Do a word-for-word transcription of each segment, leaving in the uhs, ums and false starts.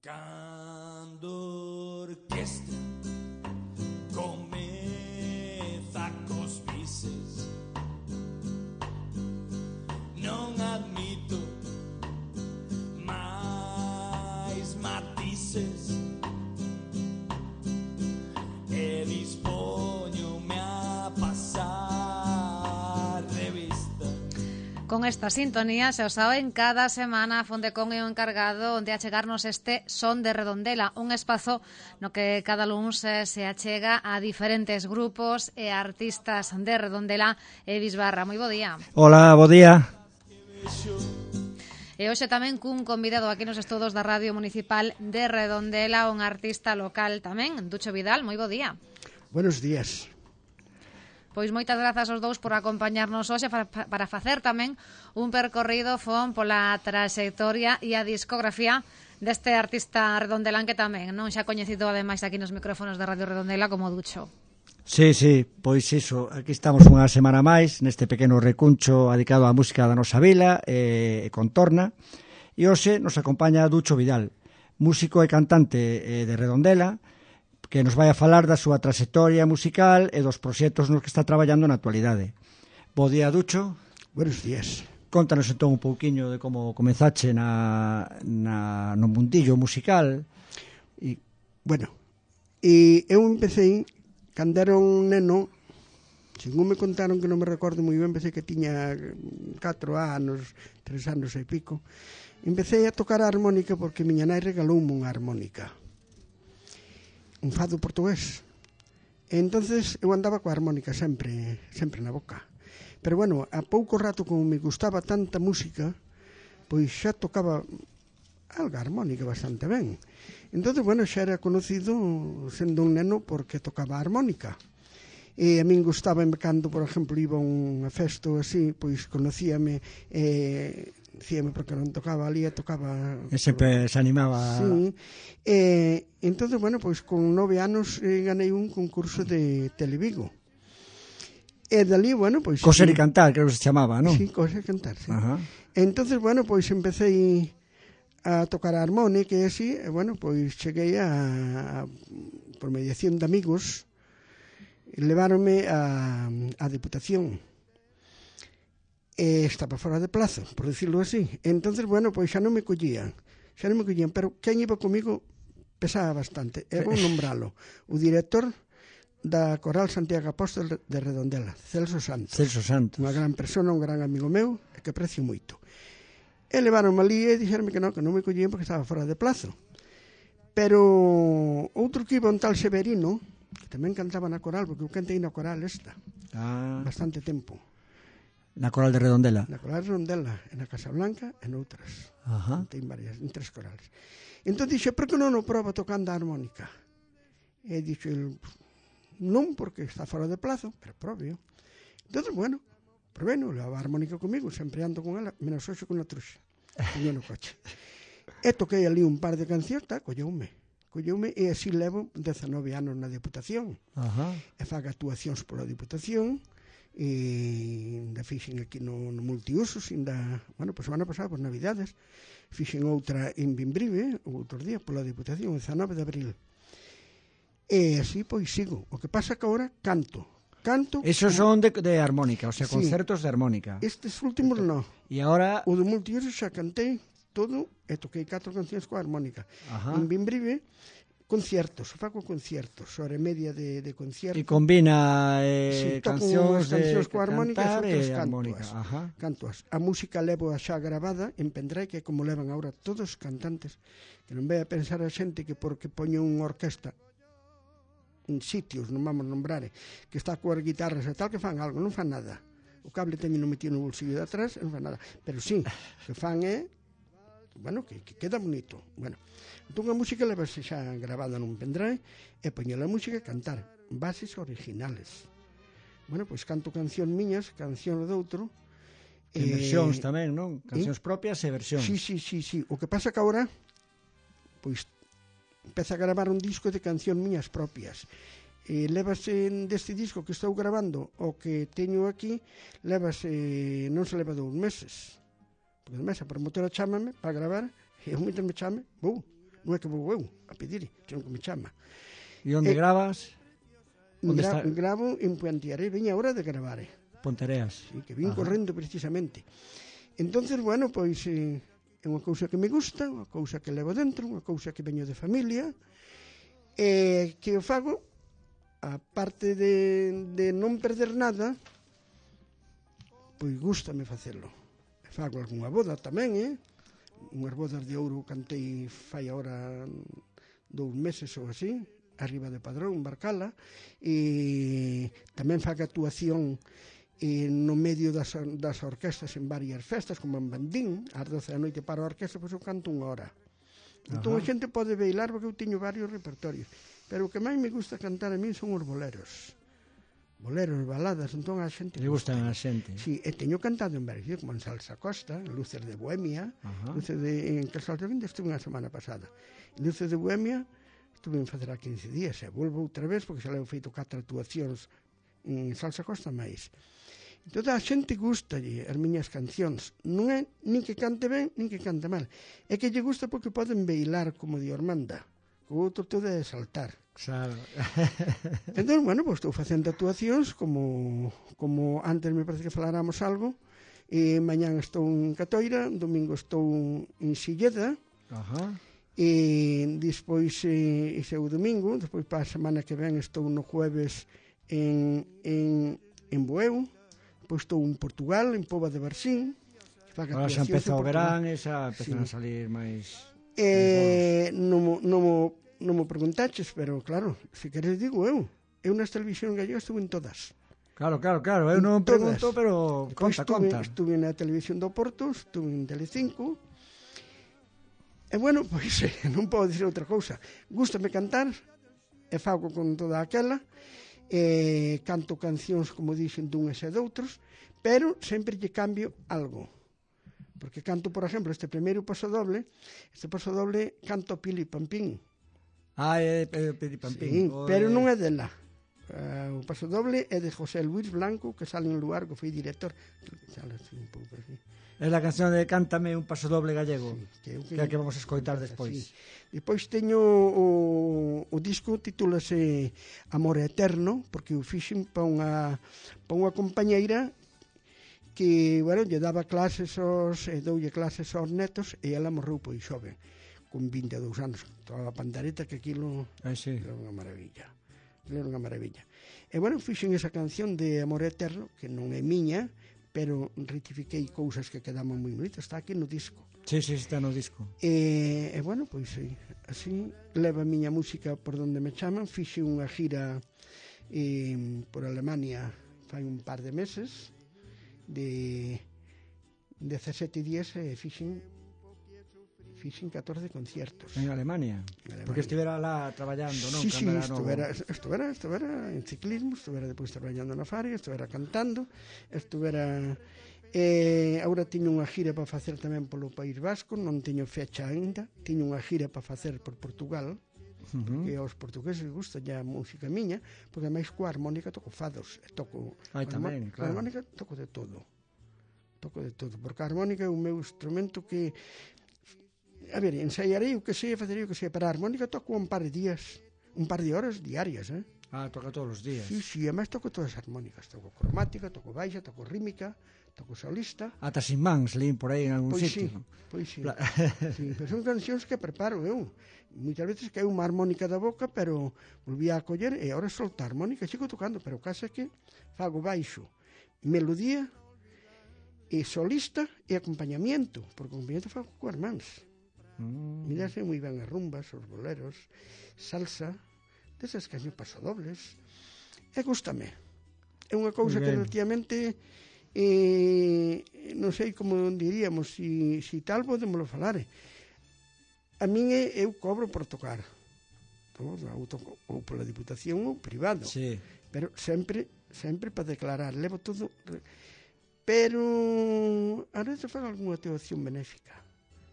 Cando orquestra comeza cos bises, non admito máis matices e dispoñome a pasar revista. Con esta sintonía, se o saben, cada semana Fondecon é o encargado de achegarnos este Son de Redondela, un espazo no que cada luns se achega a diferentes grupos e artistas de Redondela e Bisbarra. Moi bo día. Hola, bo día. E hoxe tamén cun convidado aquí nos estudos da Radio Municipal de Redondela, un artista local tamén, Ducho Vidal. Moi bo día. Buenos días. Pois moitas grazas aos dous por acompañarnos hoxe para, para facer tamén un percorrido fon pola trayectoria e a discografía deste artista redondelán que tamén non xa coñecido ademais aquí nos micrófonos de Radio Redondela como Ducho. Sí, sí, pois iso, aquí estamos unha semana máis neste pequeno recuncho dedicado á música da nosa vila e contorna, e hoxe nos acompaña Ducho Vidal, músico e cantante de Redondela, que nos vai a falar da súa trayectoria musical e dos proxectos nos que está traballando na actualidade. Bo día, Ducho. Buenos días. Contanos entón un pouquiño de como comenzache na, na, no mundillo musical. E, bueno, e eu empecé, cando era un neno, según me contaron, que non me recordo moi ben, empecé que tiña catro anos, tres anos e pico, empecé a tocar a armónica porque miña nai regaloume unha armónica, un fado portugués. E entonces eu andaba coa armónica sempre, sempre na boca. Pero bueno, a pouco rato, como me gustaba tanta música, pois xa tocaba algo armónica bastante ben. Entonces, bueno, xa era conocido sendo un neno porque tocaba a armónica. E a min gustaba cando, por exemplo, iba a unha festa así, pois conocíame, eh, dicíame porque non tocaba ali, tocaba... E sempre se animaba... Sí, e entonces, bueno, pois con nove anos eh, ganei un concurso de Televigo. E dali, bueno, pois... Coser e cantar, creo que se chamaba, non? Sí, coser e cantar, sí. Ajá. Entonces, bueno, pois empecé a tocar a armónica e así, e bueno, pois cheguei a, a por mediación de amigos, leváronme a, a Deputación. E estaba fora de plazo, por decirlo así. Entonces, bueno, pois xa non me collían, xa non me collían, pero quen iba comigo pesaba bastante. É bom nombralo. O director da Coral Santiago Apóstol de Redondela, Celso Santos. Celso Santos. Unha gran persona, un gran amigo meu, e que aprecio moito. E levaronme ali e dixeronme que non, que non me collían porque estaba fora de plazo. Pero outro que iba, un tal Severino, que tamén cantaba na coral, porque eu cantei na coral esta, ah. bastante tempo. Na coral de Redondela? Na coral de Redondela, e na Casa Blanca, e noutras. Ajá. Cantei varias, en tres corales. Entón dixe, por que non o proba tocando a armónica? E dixo, non, porque está fora de plazo, pero probio. Entón, bueno, probeno, leva a armónica comigo, sempre ando con ela, menos hoxe con a truxa, coño no coche. E toquei ali un par de cancións, tá, colleume. Colleume, e así levo dezanove anos na Deputación. Ajá. E fago actuacións pola Deputación, e ainda fixen aquí no, no multiusos, ainda, bueno, pois semana pasada, por Navidades, fixen outra en Bimbrive, outros días, pola Deputación, o dezanove de abril. E así, pois, sigo. O que pasa que agora canto. Canto... Esos son de, de armónica, o sea, sí, concertos de armónica. Estes últimos non. E agora... O do multiusos xa cantei todo e toquei catro cancións coa armónica. Ajá. En Bimbrive, conciertos, fago conciertos, hora e media de, de concierto. E combina eh, sí, cancións de cancións coa armónica e outras armónica. cantoas. Ajá. Cantoas. A música levo a xa grabada en pendrive, que é como levan agora todos os cantantes, que non vai a pensar a xente que porque poño unha orquesta en sitios, non vamos nombrar, que está coas guitarras e tal, que fan algo, non fan nada. O cable teño metido no bolsillo de atrás, non fan nada. Pero sí, que fan é, bueno, que, que queda bonito. Bueno, entón a música leva xa grabada nun pendrive e poño a música a cantar bases originales. Bueno, pois canto canción miñas, canción doutro. E versións tamén, non? Cancións eh? propias e versións. Sí, sí, sí, sí. O que pasa que agora, pois, empeza a gravar un disco de canción miñas propias. E levase deste disco que estou grabando o que teño aquí, levase, non se leva dous meses. Porque además a promotora chámame para gravar, e eu mientras me chame, vou. non é que vou eu a pedir, senón que me chama. E onde Eh, gravas? Onde Gra está? gravo en Puantiaré, veña a hora de gravar, eh. Pontereas. Sí, que vin Ajá. correndo precisamente. Entonces, bueno, pois eh, é unha cousa que me gusta, unha cousa que levo dentro, unha cousa que veño de familia, e que o fago, a parte de, de non perder nada, pois gústame facelo. E fago algunha boda tamén, eh? Unhas bodas de ouro cantei fai agora dous meses ou así, arriba de Padrón, en Barcala, e tamén fago actuación e no medio das, das orquestas en varias festas, como en Bandín, ás doce da noite para a orquesta, pois eu canto unha hora. Entón a xente pode bailar porque eu teño varios repertorios, pero o que máis me gusta cantar a mí son os boleros. Boleros, baladas, entón a xente... Le gustan a xente. Sí, e teño cantado en varios, como en Salsa Costa, en Luces de Bohemia, Ajá. Luces de, en Casal de Vinde estuve unha semana pasada. En Luces de Bohemia estuve en facer a quince días, e volvo outra vez, porque xa levo feito catro actuacións en Salsa Costa máis. Entón a xente gustalle as miñas cancións, non é nin que cante ben, nin que cante mal, é que lle gusta porque poden bailar como de Ormanda, o outro todo é saltar. Claro. Entón, bueno, pues, estou facendo actuacións como, como antes me parece que faláramos algo, e mañán estou en Catoira, domingo estou en Silleda, Ajá. e despois eh, ese é o domingo, despois para a semana que ven estou no jueves en, en, en Bueu, depois estou en Portugal, en Pova de Barxín. Ahora xa empeza o verán e xa empezan Sí. a salir máis... Eh, non, mo- non, mo- non mo preguntaches, pero claro, se queres digo eu. Eu nas televisións gallegas estuve en todas. Claro, claro, claro, eu non Todas. pregunto, pero Depois conta, estuve, conta. estuve na televisión do Porto, estuve en Telecinco. E bueno, pois eh, non podo dicir outra cousa. Gústame cantar, e fago con toda aquela, e canto cancións, como dixen, dunhas e doutros, pero sempre lle cambio algo. Porque canto, por exemplo, este primeiro pasodoble, este pasodoble canto Pili Pampín. Ah, é é Pili Sí, Pampín. pero non é dela. Uh, o pasodoble é de José Luis Blanco, que sale en lugar que foi director. Sale así un pouco así. É a canción de Cántame un pasodoble gallego, Que, eu que é a que vamos a escoitar despois. Sí. Depois teño o, o disco, titúlase Amor Eterno, porque o fixen para unha, para unha compañeira que, bueno, lle daba clases aos, e doulle clases aos netos, e ela morreu pois xoven, con vinte e dous anos, toda a pandareta, que aquilo Ah, sí. era unha maravilla. Aquilo era unha maravilla. E, bueno, fixen esa canción de Amor Eterno, que non é miña, pero rectifiquei cousas que quedaban moi bonitas, está aquí no disco. Sí, sí, está no disco. E, e bueno, pois sí, así leva a miña música por donde me chaman. Fixe unha gira eh, por Alemania fai un par de meses, de dezasete días, e fixen fixen catorce conciertos. En Alemania. Alemania. Porque estivera lá traballando, non? Sí, sí, Cando era novo. estuvera, estuvera, estuvera en ciclismo, estuvera depois traballando na Faria, estuvera cantando, estuvera... Eh, agora teño unha gira para facer tamén polo País Vasco, non teño fecha aínda, teño unha gira para facer por Portugal, Uh-huh. porque aos portugueses gusta a música miña, porque máis coa armónica toco fados, e toco... Ai, coa tamén, armó- coa claro. armónica toco de todo, toco de todo, porque a armónica é o meu instrumento que... A ver, ensaiarei o que sei, facerei o que sei, para a armónica toco un par de días, un par de horas diarias, eh? Ah, toca todos os días. Sí, sí, además toco todas as armónicas, toco cromática, toco baixa, toco rítmica, toco solista. Ata sin mans, lín por aí en algún Pois sí, sitio. pois sí. La- Sí, pero son cancións que preparo eu. Moitas veces cae unha armónica da boca, pero volví a coller e agora solta a armónica, sigo tocando, pero o caso é que fago baixo, melodía, e solista e acompañamiento, porque acompañamiento fago coas mans. Mm. Mirase moi ben as rumbas, os boleros, salsa, desas cancións pasodobles, e gústame. É unha cousa Moi que ben. relativamente eh, non sei como diríamos, si, si tal podémoslo falar. A min é, eu cobro por tocar, todo, ou, toco, ou pola Diputación ou privado, Sí. pero sempre sempre para declarar, levo todo, pero a veces fago algunha teoción benéfica.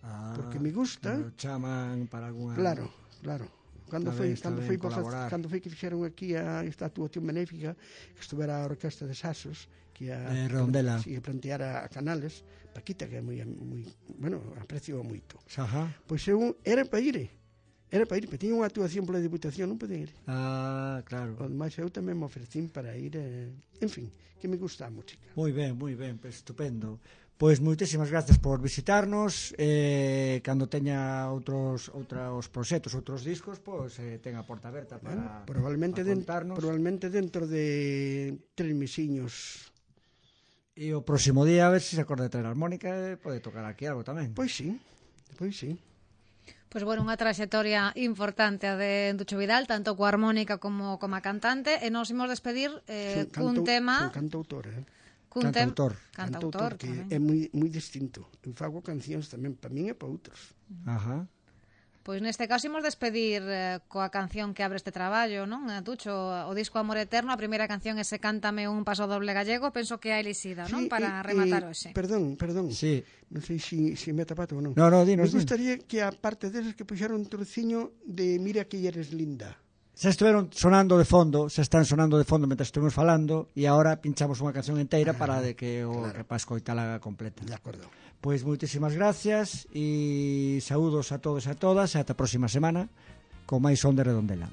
Ah, Porque me gusta. cando chaman para algunha... Claro, claro. Cando Está foi, ben, está cando ben foi, para, colaborar. cando foi que fixeron aquí a esta actuación benéfica, que estuvera a Orquesta de Sasos, que a, De Redondela. sí, que planteara a Canales, Paquita, que é moi, moi, bueno, aprecio moito. Ajá. Pois eu era para ir, Era para ir, pero tiña unha actuación pola Diputación, non podía ir. Ah, claro. O demais, eu tamén me ofrecín para ir, eh, en fin, que me gusta a música. Moi ben, moi ben, pues, estupendo. Pois moitísimas gracias por visitarnos, eh, cando teña outros outros proxectos, outros discos, pois eh, ten a porta aberta para, bueno, probablemente, para den, contarnos. probablemente dentro de tres mesiños. E o próximo día, a ver se se acorda de traer a armónica, e pode tocar aquí algo tamén. Pois sí, pois sí. Pois, bueno, unha traxectoria importante a de Ducho Vidal, tanto coa armónica como como a cantante, e nos imos despedir eh, cun tema... Son cantautor, eh? Cun tem... Cantautor. Cantautor, que tamén. é moi, moi distinto. Eu fago cancións tamén para min e para outros. Ajá. Pois neste caso imos despedir eh, coa canción que abre este traballo, non? Tucho, o disco Amor Eterno, a primeira canción é Se cántame un paso doble gallego, penso que é a elixida, non? Sí, Para e, rematar e, hoxe. Perdón, perdón. Sí. Non sei se si, si me tapato ou non. No, no, dinos, Me gustaría que a parte deses que puxeron un trociño de Mira que eres linda. Xa estiveron sonando de fondo, xa están sonando de fondo mentre estuvimos falando, e agora pinchamos unha canción inteira ah, para de que o claro. que para escoitala completa. De acordo. Pois moitísimas gracias e saúdos a todos e a todas e ata a próxima semana con máis Son de Redondela.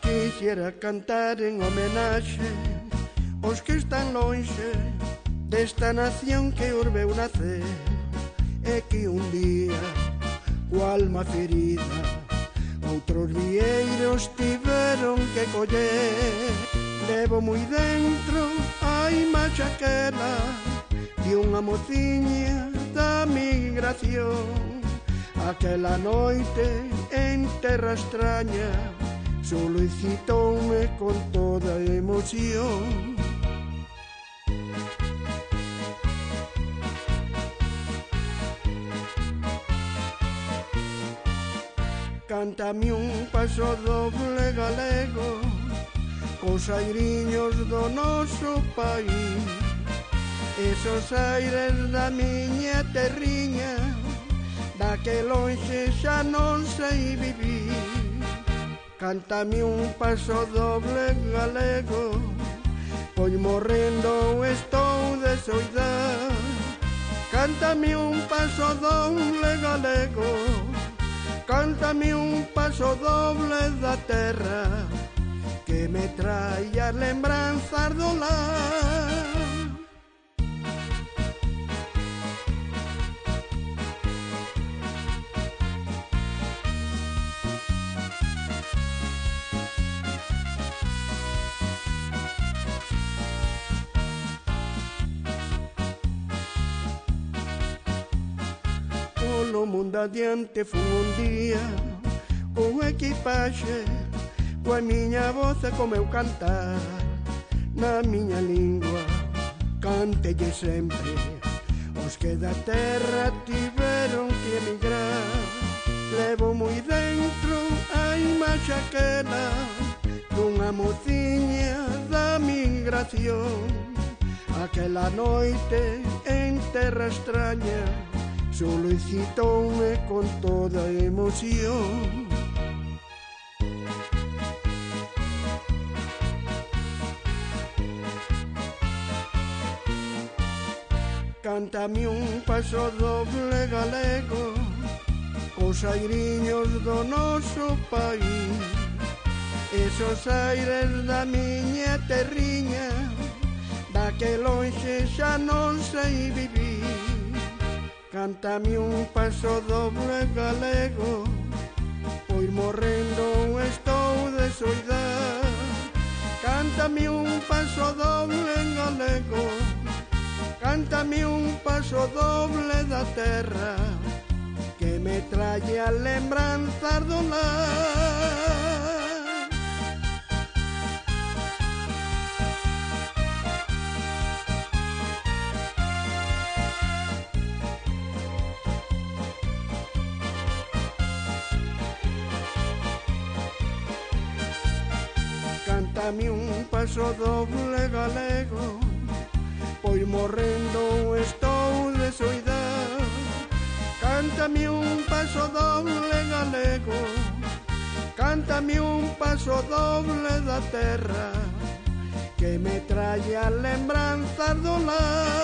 Quixera cantar en homenaxe os que están lonxe desta nación que urbeu nacer e que un día coa alma ferida outros vieiros tiveron que coller. Levo moi dentro a imaxe aquela de unha mociña da migración. Aquela noite en terra extraña solicitoume con toda emoción. Cántame un paso doble galego cos airiños do noso país, esos aires da miña terriña, da que lonxe xa non sei vivir. Cántame un paso doble galego, pois morrendo estou de soidad. Cántame un paso doble galego, cántame un paso doble da terra que me trae as lembranzas do lar. Polo mundo adiante fun un día con equipaxe, coa miña voz e co meu cantar na miña lingua. Cántelle sempre os que da terra tiveron que emigrar. Levo moi dentro a imaxe aquela dunha mociña da migración. Aquela noite en terra extraña solicitoume con toda emoción. Cántame un paso doble galego cos airiños do noso país, esos aires da miña terriña, da que lonxe xa non sei vivir. Cántame un paso doble galego, pois morrendo estou de soidad. Cántame un paso doble galego, cántame un paso doble da terra que me trae a lembranzas do lar. Cántame un paso doble galego, pois morrendo estou de soidad. Cántame un paso doble galego, cántame un paso doble da terra que me trae a lembranzas do lar.